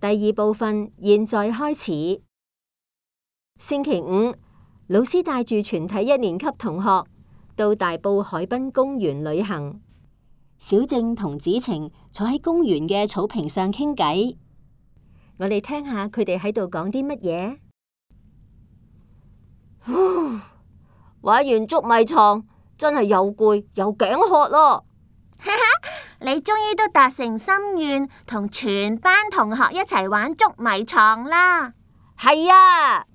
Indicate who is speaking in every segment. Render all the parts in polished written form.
Speaker 1: 第二部分現在開始。星期五，老師帶住全體一年級同學到大埔海濱公園旅行。小靜同子晴坐喺公園嘅草坪上傾偈。我哋聽下佢哋喺度講啲乜嘢。
Speaker 2: 玩完捉迷藏真係又攰又頸渴咯。
Speaker 3: 你終於都達成心願，同全班同學一齊玩捉迷藏啦。
Speaker 2: 係啊。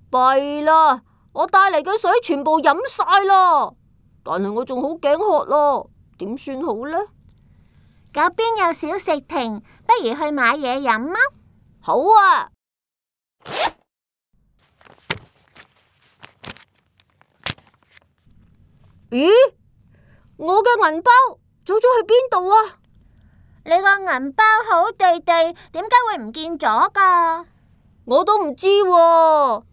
Speaker 2: 弊啦，我帶嚟嘅水全部飲晒咯，但係我仲好頸渴咯，點算好呢？
Speaker 3: 嗰邊有小食亭，不如去買嘢飲啊。
Speaker 2: 好啊。咦？我嘅銀包走咗去邊度啊？
Speaker 3: 你個銀包好地地，點解會唔見咗㗎？
Speaker 2: 我都唔知喎。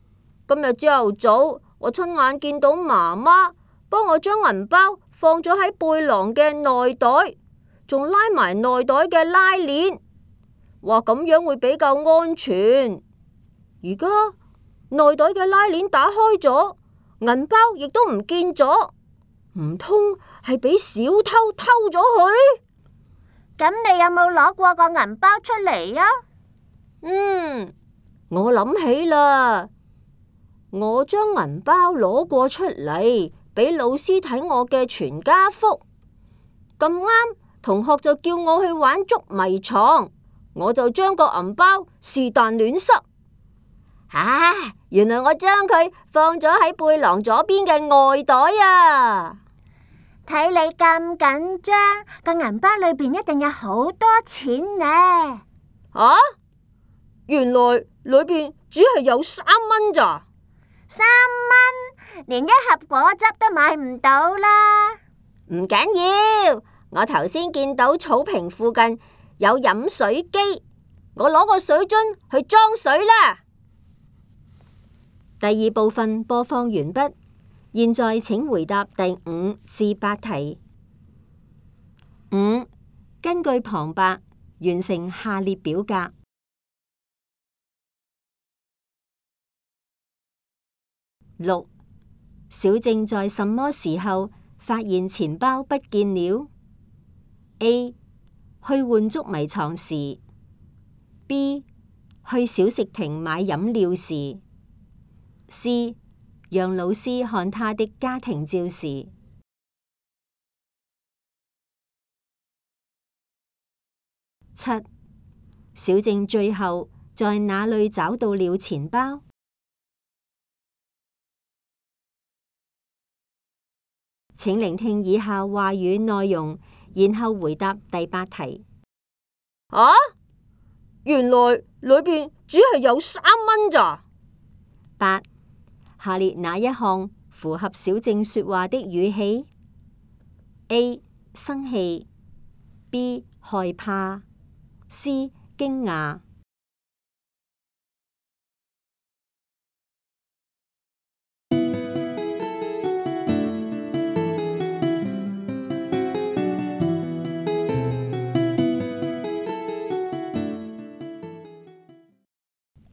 Speaker 2: 今日朝頭早，我親眼見到媽媽幫我將銀包放咗喺背囊嘅內袋，仲拉埋內袋嘅拉鏈，話咁樣會比較安全。而家內袋嘅拉鏈打開咗，銀包亦都唔見咗，唔通係俾小偷偷咗去？
Speaker 3: 咁你有冇攞過個銀包出嚟啊？
Speaker 2: 我諗起啦，我將銀包攞過出嚟俾老師睇我嘅全家福。咁啱同學就叫我去玩捉迷藏，我就將個銀包是但亂塞。原來我將佢放咗喺背囊左邊嘅外袋啊！
Speaker 3: 睇你咁緊張，個銀包裏邊一定有好多錢呢。
Speaker 2: 原來裏邊只係有3蚊咋
Speaker 3: ？3蚊，連一盒果汁都買唔到啦。
Speaker 2: 唔緊要，我頭先見到草坪附近有飲水機，我攞個水樽去裝水啦。
Speaker 1: 第二部分播放完畢，現在請回答第5至8題。5. 根據旁白完成下列表格。6. 小靜在什麼時候發現錢包不見了？ A. 去換捉迷藏時。 B. 去小食亭買飲料時。 C. 讓老師看他的家庭照時。 7. 小靜最後在哪裏找到了錢包？請聆聽以下話語內容，然後回答第8題。
Speaker 2: 原來裏邊只係有3蚊咋
Speaker 1: ？8. 下列哪一項符合小靜說話的語氣？ A. 生氣 B. 害怕 C. 驚訝。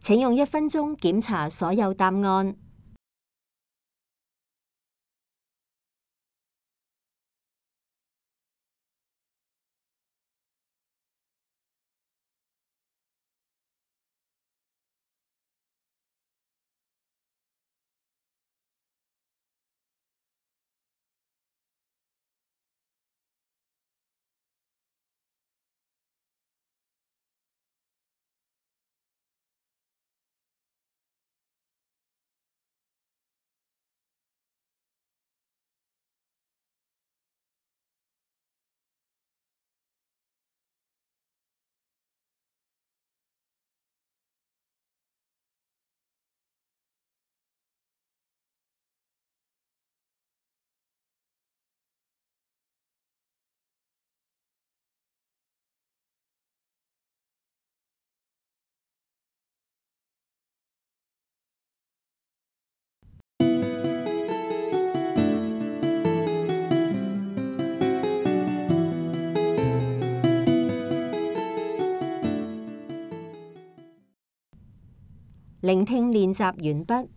Speaker 1: 請用1分鐘檢查所有答案。聆聽練習完畢。